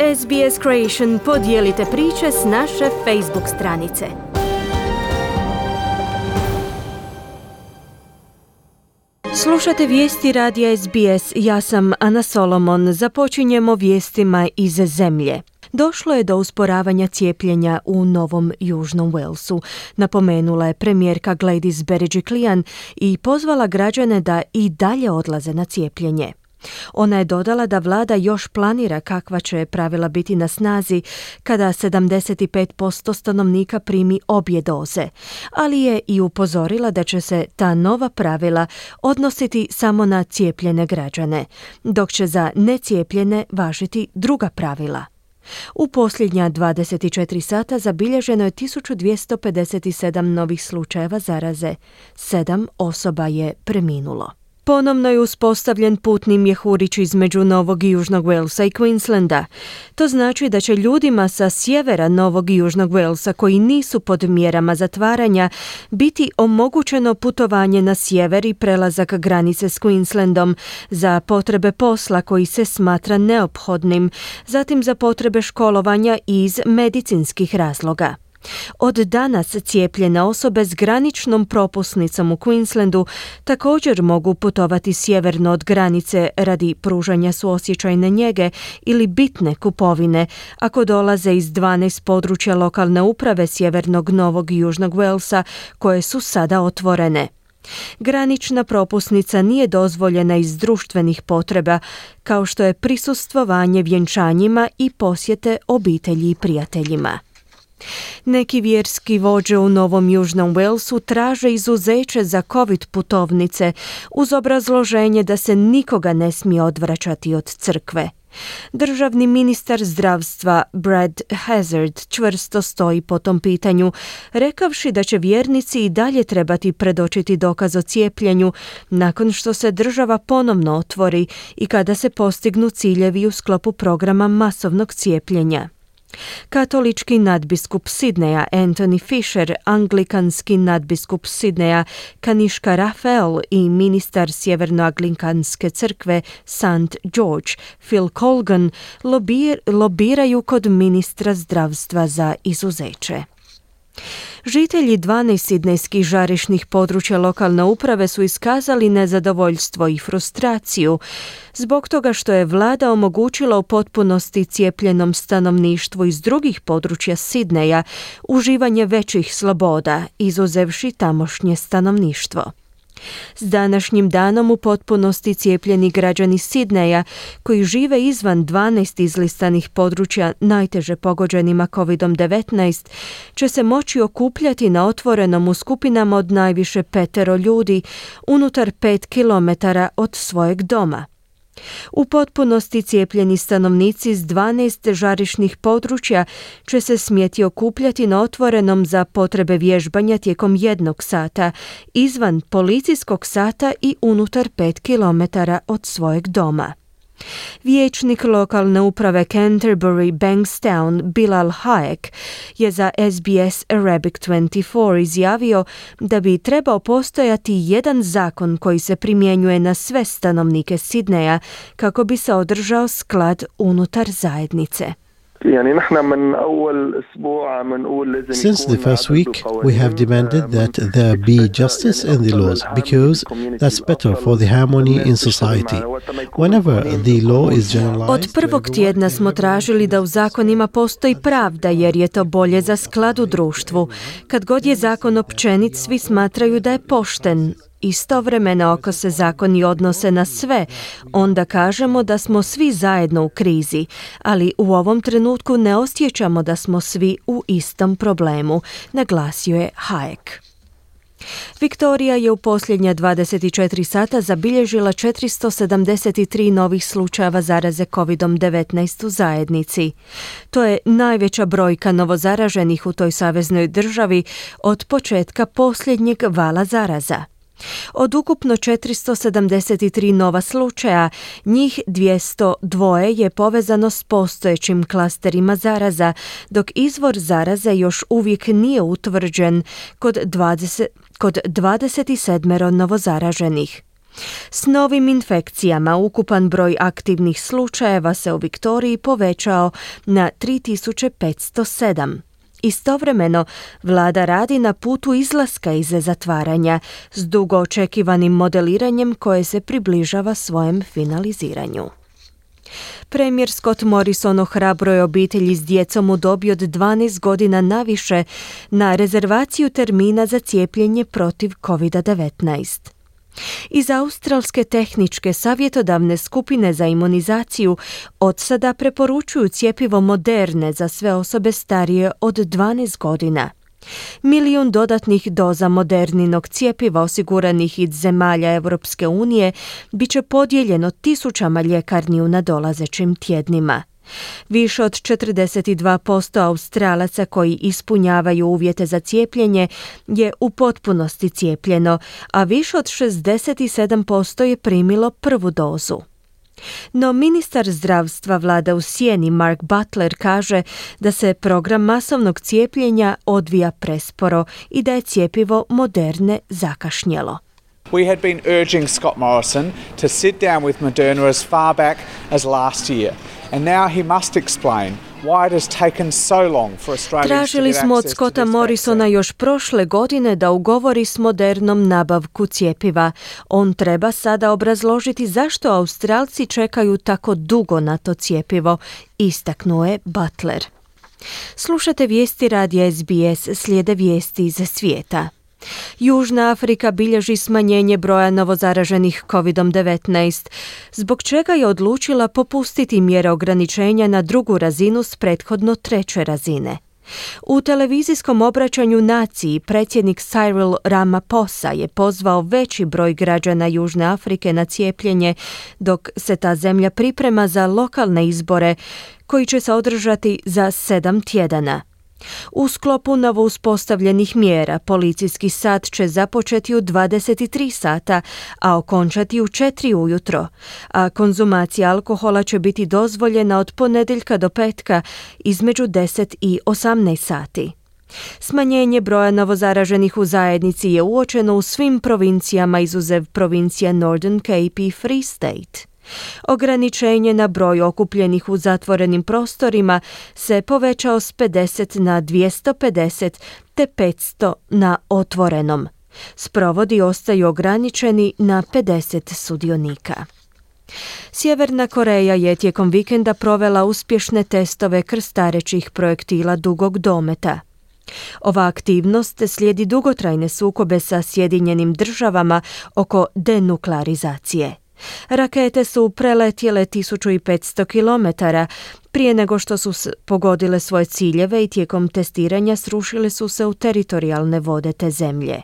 SBS Creation, podijelite priče s naše Facebook stranice. Slušate vijesti radija SBS, ja sam Ana Solomon. Započinjemo vijestima iz zemlje. Došlo je do usporavanja cijepljenja u Novom Južnom Walesu, napomenula je premijerka Gladys Berejiklian i pozvala građane da i dalje odlaze na cijepljenje. Ona je dodala da vlada još planira kakva će pravila biti na snazi kada 75% stanovnika primi obje doze, ali je i upozorila da će se ta nova pravila odnositi samo na cijepljene građane, dok će za necijepljene važiti druga pravila. U posljednja 24 sata zabilježeno je 1257 novih slučajeva zaraze. 7 osoba je preminulo. Ponovno je uspostavljen putni mjehurić između Novog i Južnog Walesa i Queenslanda. To znači da će ljudima sa sjevera Novog i Južnog Walesa koji nisu pod mjerama zatvaranja biti omogućeno putovanje na sjever i prelazak granice s Queenslandom za potrebe posla koji se smatra neophodnim, zatim za potrebe školovanja i iz medicinskih razloga. Od danas cijepljene osobe s graničnom propusnicom u Queenslandu također mogu putovati sjeverno od granice radi pružanja suosjećajne njege ili bitne kupovine ako dolaze iz 12 područja lokalne uprave sjevernog Novog i Južnog Walesa koje su sada otvorene. Granična propusnica nije dozvoljena iz društvenih potreba, kao što je prisustvovanje vjenčanjima i posjete obitelji i prijateljima. Neki vjerski vođe u Novom Južnom Walesu traže izuzeće za COVID putovnice uz obrazloženje da se nikoga ne smije odvraćati od crkve. Državni ministar zdravstva Brad Hazzard čvrsto stoji po tom pitanju, rekavši da će vjernici i dalje trebati predočiti dokaz o cijepljenju nakon što se država ponovno otvori i kada se postignu ciljevi u sklopu programa masovnog cijepljenja. Katolički nadbiskup Sidneja Anthony Fisher, anglikanski nadbiskup Sidneja Kaniška Rafael i ministar Sjevernoanglikanske crkve St. George Phil Colgan lobiraju kod ministra zdravstva za izuzeće. Žitelji 12 sidnejskih žarišnih područja lokalne uprave su iskazali nezadovoljstvo i frustraciju zbog toga što je vlada omogućila u potpunosti cijepljenom stanovništvu iz drugih područja Sidneja uživanje većih sloboda, izuzevši tamošnje stanovništvo. S današnjim danom u potpunosti cijepljeni građani Sidneja koji žive izvan 12 izlistanih područja najteže pogođenima COVID-19 će se moći okupljati na otvorenom u skupinama od najviše 5 ljudi unutar 5 kilometara od svojeg doma. U potpunosti cijepljeni stanovnici iz 12 žarišnih područja će se smjeti okupljati na otvorenom za potrebe vježbanja tijekom 1 sata, izvan policijskog sata i unutar 5 kilometara od svojeg doma. Vijećnik lokalne uprave Canterbury Bankstown Bilal Hayek je za SBS Arabic 24 izjavio da bi trebao postojati jedan zakon koji se primjenjuje na sve stanovnike Sidneja kako bi se održao sklad unutar zajednice. Since the first week, we have demanded that there be justice in the laws because that's better for the harmony in society. Whenever the law is generalized, od prvog tjedna smo tražili da u zakonima postoji pravda jer je to bolje za sklad u društvu. Kad god je zakon općenit, svi smatraju da je pošten. Istovremeno, ako se zakoni odnose na sve, onda kažemo da smo svi zajedno u krizi, ali u ovom trenutku ne osjećamo da smo svi u istom problemu, naglasio je Hayek. Viktorija je u posljednja 24 sata zabilježila 473 novih slučajeva zaraze COVID-19 u zajednici. To je najveća brojka novozaraženih u toj saveznoj državi od početka posljednjeg vala zaraza. Od ukupno 473 nova slučaja, njih 202 je povezano s postojećim klasterima zaraza, dok izvor zaraze još uvijek nije utvrđen kod 27 novozaraženih. S novim infekcijama ukupan broj aktivnih slučajeva se u Viktoriji povećao na 3507. Istovremeno, vlada radi na putu izlaska iz zatvaranja s dugo očekivanim modeliranjem koje se približava svojem finaliziranju. Premijer Scott Morrison ohrabruje obitelji s djecom u dobi od 12 godina naviše na rezervaciju termina za cijepljenje protiv COVID-19. Iz Australske tehničke savjetodavne skupine za imunizaciju od sada preporučuju cjepivo Moderne za sve osobe starije od 12 godina. 1 milijun dodatnih doza Moderninog cjepiva osiguranih iz zemalja Europske unije bit će podijeljeno tisućama ljekarni u nadolazećim tjednima. Više od 42% Australaca koji ispunjavaju uvjete za cijepljenje je u potpunosti cijepljeno, a više od 67% je primilo prvu dozu. No ministar zdravstva vlada u sjeni Mark Butler kaže da se program masovnog cijepljenja odvija presporo i da je cjepivo Moderne zakašnjelo. We had been urging Scott Morrison to sit down with Moderna as far back as last year. And now he must explain why it has taken so long for Australians to get access to this vaccine. Tražili smo od Scotta Morrisona još prošle godine da ugovori s Modernom nabavku cjepiva. On treba sada obrazložiti zašto Australci čekaju tako dugo na to cjepivo, istaknuo je Butler. Slušate vijesti radija SBS, slijede vijesti iz svijeta. Južna Afrika bilježi smanjenje broja novozaraženih COVID-19, zbog čega je odlučila popustiti mjere ograničenja na drugu razinu s prethodno treće razine. U televizijskom obraćanju naciji predsjednik Cyril Ramaphosa je pozvao veći broj građana Južne Afrike na cijepljenje, dok se ta zemlja priprema za lokalne izbore koji će se održati za 7 tjedana. U sklopu novo uspostavljenih mjera policijski sat će započeti u 23 sata, a okončati u 4 ujutro, a konzumacija alkohola će biti dozvoljena od ponedjeljka do petka između 10 i 18 sati. Smanjenje broja novozaraženih u zajednici je uočeno u svim provincijama izuzev provincija Northern Cape i Free State. Ograničenje na broj okupljenih u zatvorenim prostorima se povećao s 50 na 250 te 500 na otvorenom. Sprovodi ostaju ograničeni na 50 sudionika. Sjeverna Koreja je tijekom vikenda provela uspješne testove krstarećih projektila dugog dometa. Ova aktivnost slijedi dugotrajne sukobe sa Sjedinjenim državama oko denuklearizacije. Rakete su preletjele 1500 km prije nego što su pogodile svoje ciljeve i tijekom testiranja srušile su se u teritorijalne vode te zemlje.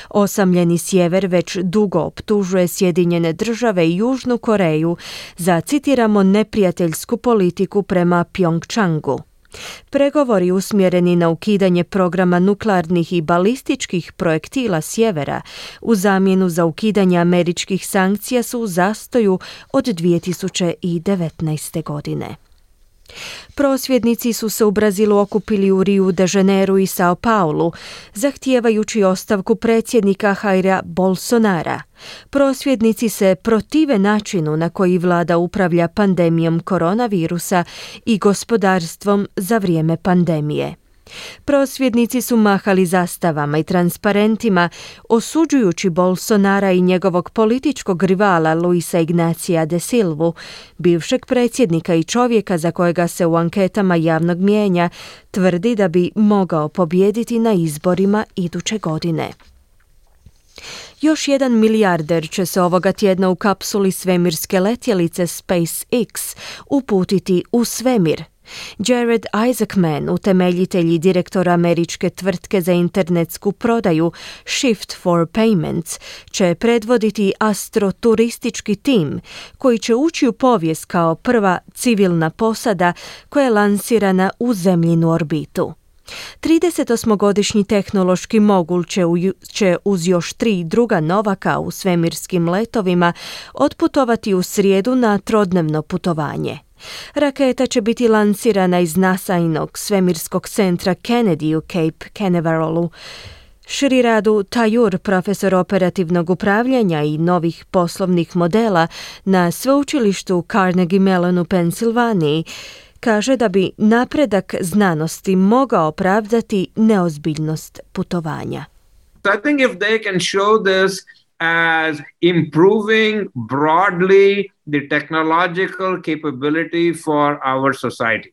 Osamljeni sjever već dugo optužuje Sjedinjene države i Južnu Koreju za, citiramo, neprijateljsku politiku prema Pjongčangu. Pregovori usmjereni na ukidanje programa nuklearnih i balističkih projektila sjevera u zamjenu za ukidanje američkih sankcija su u zastoju od 2019. godine. Prosvjednici su se u Brazilu okupili u Rio de Janeiro i Sao Paulu, zahtijevajući ostavku predsjednika Jaira Bolsonara. Prosvjednici se protive načinu na koji vlada upravlja pandemijom koronavirusa i gospodarstvom za vrijeme pandemije. Prosvjednici su mahali zastavama i transparentima, osuđujući Bolsonara i njegovog političkog rivala Luisa Ignacia de Silvu, bivšeg predsjednika i čovjeka za kojega se u anketama javnog mijenja tvrdi da bi mogao pobijediti na izborima iduće godine. Još jedan milijarder će se ovoga tjedna u kapsuli svemirske letjelice SpaceX uputiti u svemir. Jared Isaacman, utemeljitelj i direktor američke tvrtke za internetsku prodaju Shift for Payments, će predvoditi astroturistički tim koji će ući u povijest kao prva civilna posada koja je lansirana u zemljinu orbitu. 38-godišnji tehnološki mogul će uz još 3 druga novaka u svemirskim letovima otputovati u srijedu na trodnevno putovanje. Raketa će biti lansirana iz NASA-inog svemirskog centra Kennedy u Cape Canaverallu, Sriradu Tayur, profesor operativnog upravljanja i novih poslovnih modela na sveučilištu Carnegie Mellon u Pensilvaniji, kaže da bi napredak znanosti mogao opravdati neozbiljnost putovanja. So I think if they can show this as improving broadly the technological capability for our society.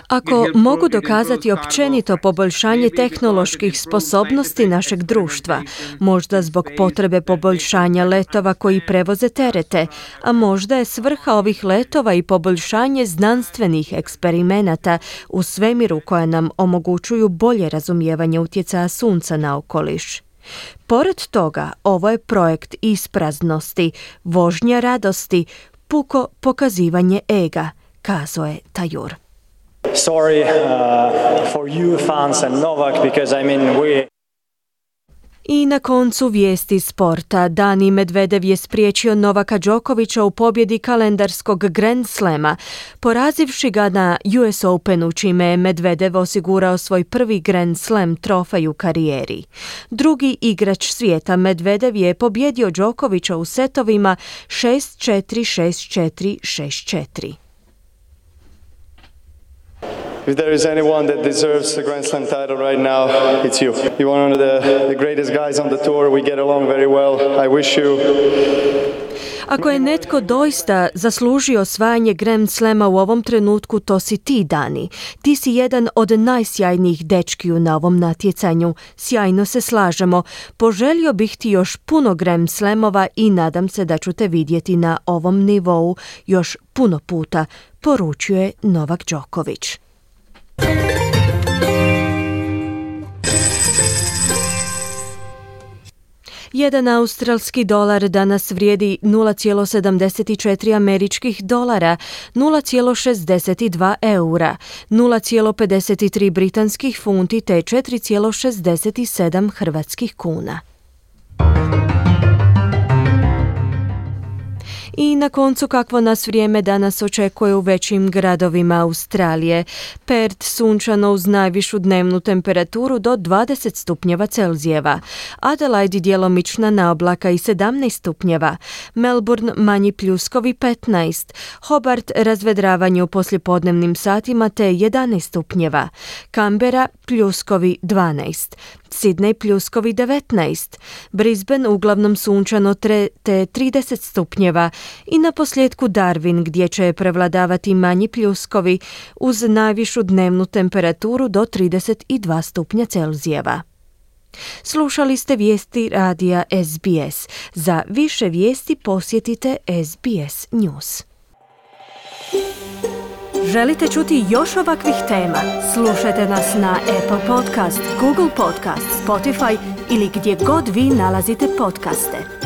Ako mogu dokazati općenito poboljšanje tehnoloških sposobnosti našeg društva, možda zbog potrebe poboljšanja letova koji prevoze terete, a možda je svrha ovih letova i poboljšanje znanstvenih eksperimenata u svemiru koja nam omogućuju bolje razumijevanje utjecaja sunca na okoliš. Pored toga, ovo je projekt ispraznosti, vožnja radosti, puko pokazivanje ega, kazao je Tayur. Sorry for you fans and Novak because we. I na koncu vijesti sporta. Dani Medvedev je spriječio Novaka Đokovića u pobjedi kalendarskog Grand Slama, porazivši ga na US Openu, čime je Medvedev osigurao svoj prvi Grand Slam trofej u karijeri. Drugi igrač svijeta Medvedev je pobjedio Đokovića u setovima 6-4, 6-4, 6-4. If there is anyone that deserves a Grand Slam title right now, it's you. You're one of the greatest guys on the tour. We get along very well. I wish you. Ako je netko doista zaslužio osvajanje Grand Slama u ovom trenutku, to si ti, Dani. Ti si jedan od najsjajnijih dečkiju na ovom natjecanju. Sjajno se slažemo. Poželio bih ti još puno Grand Slamova i nadam se da ću te vidjeti na ovom nivou još puno puta, poručuje Novak Đoković. Jedan australski dolar danas vrijedi 0,74 američkih dolara, 0,62 eura, 0,53 britanskih funti te 4,67 hrvatskih kuna. I na koncu kakvo nas vrijeme danas očekuje u većim gradovima Australije. Perth sunčano uz najvišu dnevnu temperaturu do 20 stupnjeva Celzijeva. Adelaide djelomična naoblaka i 17 stupnjeva. Melbourne manji pljuskovi 15. Hobart razvedravanje u poslijepodnevnim satima te 11 stupnjeva. Canberra pljuskovi 12. Sydney pljuskovi 19. Brisbane uglavnom sunčano te 30 stupnjeva i na posljedku Darwin gdje će prevladavati manji pljuskovi uz najvišu dnevnu temperaturu do 32 stupnja Celzijeva. Slušali ste vijesti radija SBS. Za više vijesti posjetite SBS News. Želite čuti još ovakvih tema? Slušajte nas na Apple Podcast, Google Podcast, Spotify ili gdje god vi nalazite podcaste.